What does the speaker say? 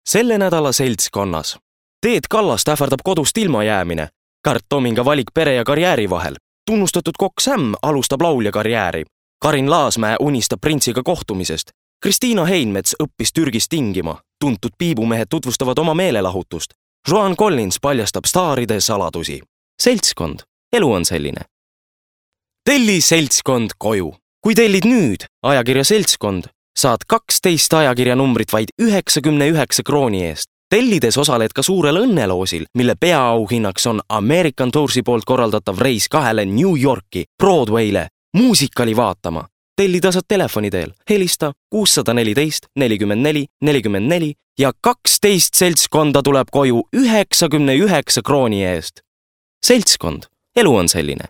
Selle nädala seltskonnas. Teet Kallast ähvardab kodust ilma jäämine. Kärt Tominga valik pere ja karjääri vahel. Tunnustatud kokk Sam alustab laulja karjääri. Karin Laasmäe unistab printsiga kohtumisest. Kristiina Heinmets õppis Türgis tingima. Tuntud piibumehed tutvustavad oma meelelahutust. Joan Collins paljastab staaride saladusi. Seltskond. Elu on selline. Telli seltskond koju. Kui tellid nüüd ajakirja Seltskond, saad 12 ajakirja numbrit vaid 99 krooni eest. Tellides osaled ka suurel õnneloosil, mille peaauhinnaks on American Toursi poolt korraldatav reis 2 New Yorki, Broadway'le, muusikali vaatama. Tellida saad telefoni teel. Helista 614 44 44 ja 12 seltskonda tuleb koju 99 krooni eest. Seltskond. Elu on selline.